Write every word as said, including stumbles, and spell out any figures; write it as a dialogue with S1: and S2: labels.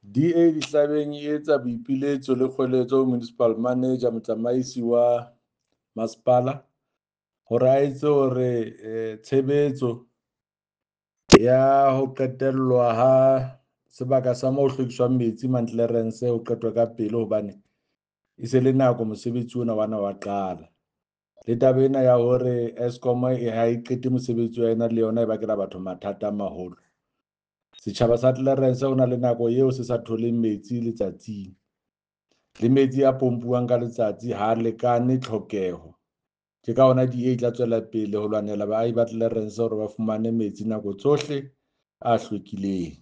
S1: D A Dihlabeng e etsa boipiletso le kgoeletso ho Municipal Manager, motsamaisi wa masepala, hore a etse hore tshebetso ya ho qetellwa ha sebaka sa mo ho hlwekiswang metsi Mount Clarence ho qetwa ka pele hobane e se le nako mosebetsi ona wa na wa qala. Le taba ena ya hore Eskom e ha e qete mosebetsi wa yona le yona e bakela batho mathata a maholo. Setjhaba sa Clarens ho na le nako eo se sa tholeng metsi letsatsing le metsi a pompuwang ka letsatsi ha lekane tlhokeho. Ke ka hona D A e tla tswela pele ho lwanela baahi ba Clarens hore ba fumane metsi nako tsohle a hlwekileng.